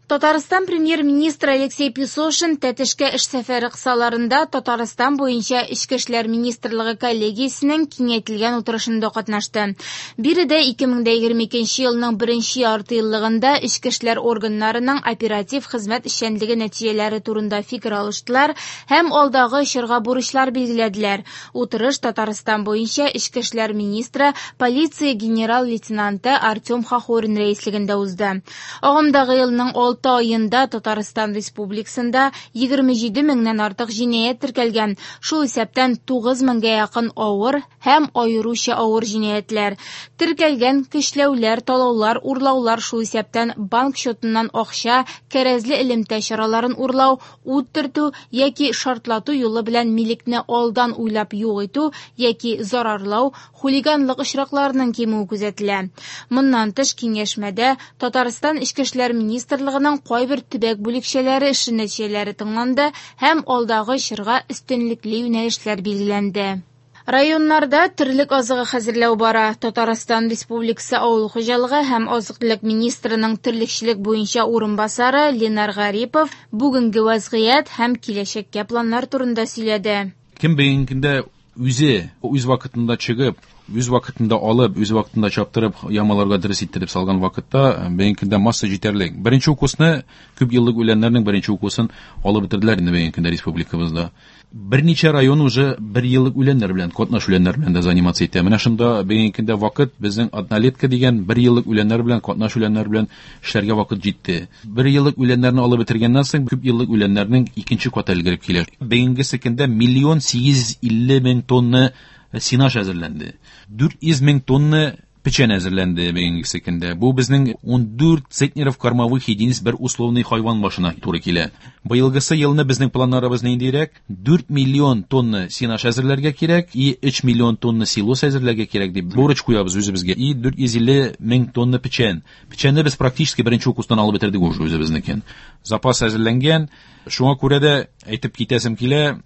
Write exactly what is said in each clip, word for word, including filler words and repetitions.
Татарстан премьер-министры Алексей Песошин Тәтешкә эш сәфәре кысаларында Татарстан буенча Эчке эшләр министрлыгы коллегиясенең киңәйтелгән утырышында катнашты. Биредә ике мең дә егерме икенче елның беренче яртыеллыгында эчке эшләр органнарының оператив хезмәт эшчәнлеге нәтиҗәләре турында фикер алыштылар һәм алдагы чорга бурычлар билгеләделәр. Утырыш Татарстан буенча эчке эшләр министры, полиция генерал-лейтенанты Артем Хохорин рәислегендә узды. Агымдагы елның алты айында Татарстан Республикасында егерме җиде меңнән артык җинаять теркәлгән, шул исәптән тугыз меңгә якын авыр һәм аеруча авыр җинаятьләр. Теркәлгән көчләүләр, талаулар, урлаулар, шул исәптән банк счетыннан акча, кәрәзле элемтә чараларын урлау, ут төртү яки шартлату юлы белән милекне алдан уйлап юк итү яки зарарлау, хулиганлык очракларының кимүе күзәтелә. Моннан тыш киңәшмәдә Татарстан Эчке эшләр министрлыгының кайбер төбәк бүлекчәләре эше нәтиҗәләре тыңланды һәм алдагы чорга өстенлекле юнәлешләр билгеләнде. Районнарда терлек азыгы хәзерләү бара. Татарстан Республикасы Авыл хуҗалыгы һәм азык-төлек министрының терлекчелек буенча урынбасары Ленар Гарипов бүгенге вазгыять һәм киләчәккә планнар турында сөйләде. Кем бүгенге көндә үзе үз вакытында чыгып, үз вакытында алып, үз вакытында чаптырып, ямаларга дөрес иттереп салган вакытта бүгенге көндә масса җитәрлек. Беренче укусны, күп еллык үләннәрнең беренче укусын алып бетерделәр инде бүгенге көндә республикабызда. Берничә район уже бер еллык үләннәр белән, катнаш үләннәр белән дә заниматься итә. Менә шунда бүгенге көндә вакыт безнең однолетка дигән бер еллык үләннәр белән, катнаш үләннәр белән эшләргә вакыт җитте. Бер еллык үләннәрне алып бетергәннән соң күп еллык үләннәрнең икенче каты өлгереп килә. Бүгенге көндә миллион сигез йөз илле мең тонна сенаж әзерләнде. Дүрт йөз мең тонна печән әзерләнде бүгенге көндә. Бу безнең ун дүрт центнеров кормовых единиц бер условный хайван башына туры килә. Быелгысы елны безнең планнарыбыз ниндирәк? Дүрт миллион тонна сенаж әзерләргә кирәк и өч миллион тонна силос әзерләргә кирәк дип бурыч куябыз үзебезгә. И дүрт йөз илле мең тонна печән. Печәнне без практически беренче укустан алып бетердек уже үзебезнекен. Запас әзерләнгән. Шуңа күрә дә әйтеп китәсем килә,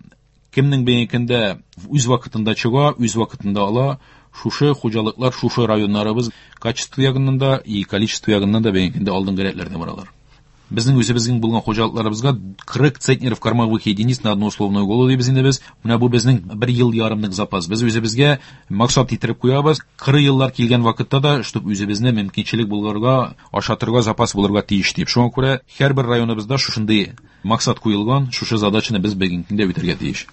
кемнең бүгенге көндә үз вакытында чыга, үз вакытында ала, шушы хуҗалыклар, шушы районнарыбыз качество ягыннан да и количество ягыннан да бүгенге көндә алдынгы рәтләрдә баралар. Безнең үзебезнең булган хуҗалыкларыбызга кырык центнеров кормовых единиц на одну условную голову дибез инде без. Менә бу безнең бер ел ярымлык запас. Без үзебезгә максат иттереп куябыз. Кырык еллар килгән вакытта да, чтоб үзебезне мөмкинчелек булырга, ашатырга запас булырга тиеш дип. Шуңа күрә һәрбер районыбызда шушындый максат куелган, шушы задачаны без бүгенге көндә үтәргә тиеш.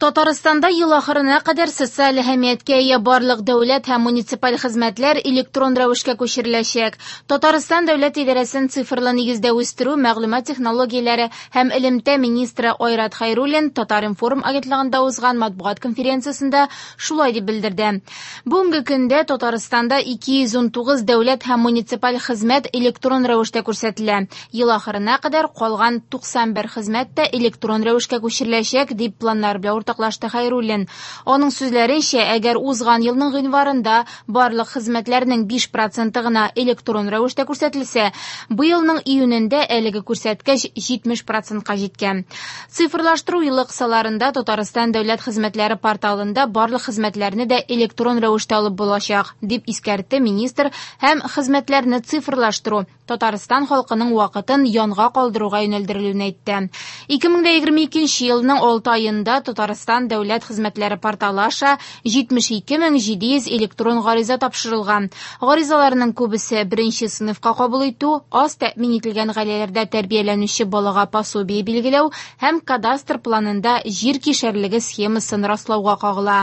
Татарстанда ел ахырына кадәр социаль әһәмияткә ия барлык дәүләт һәм муниципаль хезмәтләр электрон рәвешкә күчереләчәк. Татарстан дәүләт идарәсен цифрлы нигездә үстерү, мәгълүмат технологияләре һәм элемтә министры Айрат Хәйруллин Татар-информ агентлыгында узган матбугат конференциясендә шулай дип белдерде. Бүгенге көндә Татарстанда ике йөз ун тугыз дәүләт һәм муниципаль хезмәт электрон рәвештә күрсәтелә. Ел ахырына кадәр калган туксан бер хезмәт тә электрон рәвешкә күчереләчәк дип планнар белән уртаклашты Хәйруллин. Аның сүзләренчә, әгәр узган елның гыйнварында барлык хезмәтләрнең биш проценты гына электрон рәвештә күрсәтелсә, быелның июнендә әлеге күрсәткеч җитмеш процентка җиткән. Цифрлаштыру елы кысаларында Татарстан дәүләт хезмәтләре порталында барлык хезмәтләрне дә электрон рәвештә алып булачак, дип искәртте министр һәм хезмәтләрне цифрлаштыру Татарстан халкының вакытын янга калдыруга юнәлдерелүен әйтте. Ике мең дә егерме икенче елның алты аенда Татарстан дәүләт хезмәтләре порталы аша җитмеш ике мең җиде йөз электрон гариза тапшырылган. Гаризаларның күбесе беренче сыйныфка кабул итү, аз тәэмин ителгән гаиләләрдә тәрбияләнүче балага пособие билгеләү һәм кадастр планында җир кишәрлеге схемасын раслауга кагыла.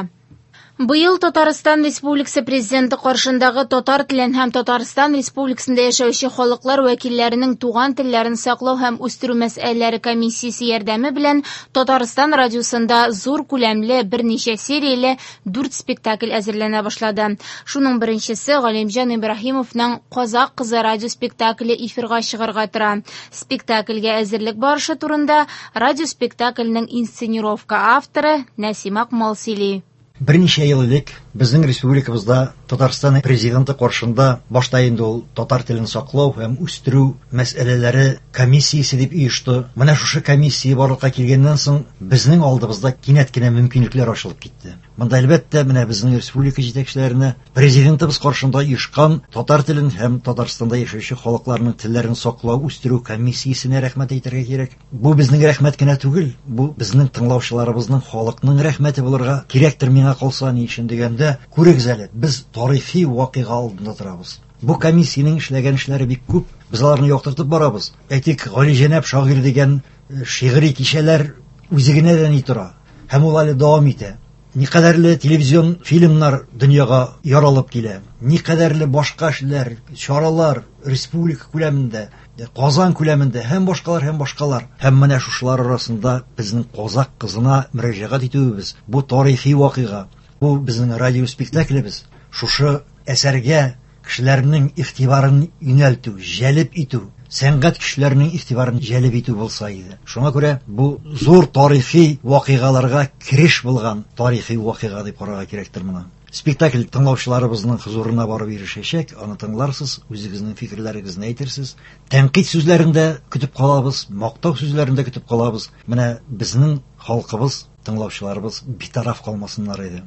Быел Татарстан Республикасы Президенты каршындагы татар телен һәм Татарстан Республикасында яшәүче халыклар вәкилләренең туган телләрен саклау һәм үстерү мәсьәләләре комиссиясе ярдәме белән Татарстан радиосында зур күләмле берничә серияле дүрт спектакль әзерләнә башлады. Шуның беренчесе Галимҗан Ибраһимовның Казак кызы радио спектакле эфирга чыгарга тора. Спектакльгә әзерлек барышы турында радио спектакльнең инсценировка авторы Нәсим Акмал сөйли. Берничә ел элек Безнең республикабызда Татарстан президенты каршында башта инде ул татар телен саклау һәм үстерү мәсьәләләре комиссиясе дип оешты. Менә шушы комиссия барлыкка килгәннән соң безнең алдыбызда кинәт кенә мөмкинлекләр ачылып китте. Монда әлбәттә менә безнең республика җитәкчеләренә президентыбыз каршында оешкан татар телен һәм Татарстанда яшәүче халыкларның телләрен саклау, үстерү комиссиясенә рәхмәт әйтергә кирәк. Бу безнең рәхмәт кенә түгел, бу безнең тыңлаучыларыбызның, халыкның рәхмәте булырга кирәктер миңа калса, ни өчен дигәндә, күрегез әле, без тарихи вакыйга алдында торабыз. Бу комиссиянең эшләгән эшләре бик күп, без аларны яктыртып барабыз. Әйтик, Галиҗәнәп шагыйрь дигән шигъри кичәләр үзе генә дә ни тора, һәм ул әле дәвам итә. Никадәрле телевизион фильмнар дөньяга яралып килә, никадәрле башка эшләр, чаралар республика күләмендә, Казан күләмендә һәм башкалар һәм башкалар. Һәм менә шушылар арасында безнең казак кызына мөрәҗәгать итүебез, бу тарихи вакыйга, бу безнең радио спектаклебез. Шушы әсәргә кешеләрнең игътибарын юнәлтү, җәлеп итү, сәнгать кешеләренең игътибарын җәлеп итү булса иде. Шуңа күрә бу зур тарихи вакыйгаларга кереш булган тарихи вакыйга дип карарга кирәктер моны. Спектакль тыңлаучыларыбызның хозурына барып ирешәчәк, аны тыңларсыз, үзегезнең фикерләрегезне әйтерсез. Тәнкыйть сүзләрен дә көтеп калабыз, мактау сүзләрен дә көтеп калабыз. Менә безнең халкыбыз, тыңлаучыларыбыз битараф калмасыннар иде.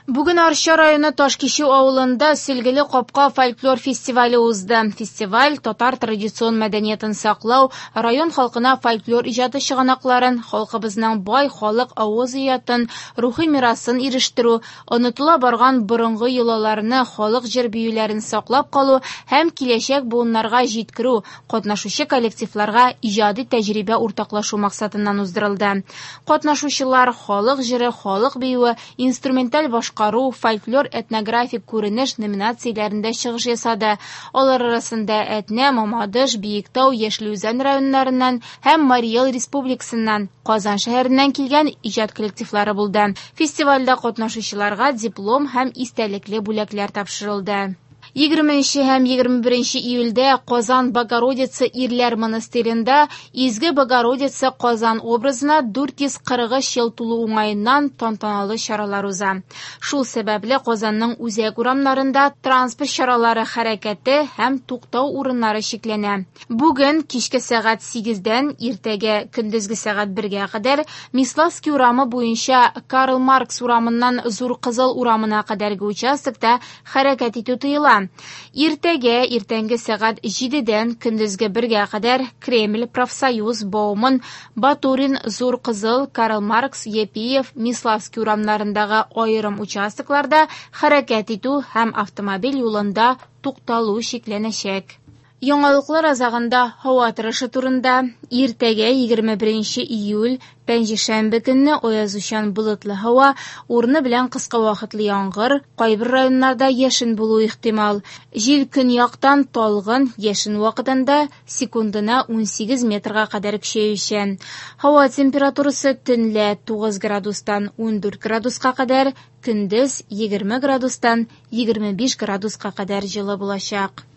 Бүген Арча районы Ташкичү авылында Сөлгеле капка фольклор фестивале узды. Фестиваль татар традицион мәдәниятен саклау, район халкына фольклор иҗаты чыганакларын, халкыбызның бай халык авыз иҗатын, рухи мирасын ирештерү, онытыла барган борынгы йолаларны, халык җыр биюләрен саклап калу һәм киләчәк буыннарга җиткерү, катнашучы коллективларга иҗади тәҗрибә уртаклашу максатыннан уздырылды. Катнашучылар халык җыры, халык биюе, инструменталь башка Кару, фольклор этнографик күренеш номинацияләрендә чыгыш ясады. Алар арасында Әтнә, Мамадыш, Биектау, Яшел Үзән районнарыннан һәм Марий Эл республикасыннан, Казан шәһәреннән килгән иҗат коллективлары булды. Фестивальдә катнашучыларга диплом һәм истәлекле бүләкләр тапшырылды. Егерменче һәм егерме беренче июльдә Казан Богородица ирләр монастыренда Изге Богородица Казан образына дүрт йөз кырык өч ел тулу уңаеннан тантаналы чаралар уза. Шул сәбәпле Казанның үзәк урамнарында транспорт чаралары хәрәкәте һәм туктау урыннары чикләнә. Бүген кичке сәгать сигездән иртәгә көндезге сәгать бергә кадәр Миславский урамы буенча Карл Маркс урамыннан Зур Кызыл урамына кадәрге участокта хәрәкәт итү тыела. Иртәгә иртәнге сәгать җидедән көндезге бергә кадәр Кремль, Профсоюз, Бауман, Батурин, Зур Кызыл, Карл Маркс, Епиев, Миславский урамнарындагы аерым участокларда хәрәкәт итү һәм автомобиль юлында тукталу чикләнәчәк. Яңалыклар азагында һава торышы турында. Иртәгә егерме беренче июль пәнҗешәмбе көнне аязучан болытлы һава, урыны белән кыска вакытлы яңгыр, кайбер районнарда яшен булу ихтимал. Җил көньяктан талгын, яшен вакытында секундына унсигез метрга кадәр көчәючән. Һава температурасы төнлә тугыз градустан ундүрт градуска кадәр, көндез егерме градустан егерме биш градуска кадәр җылы булачак.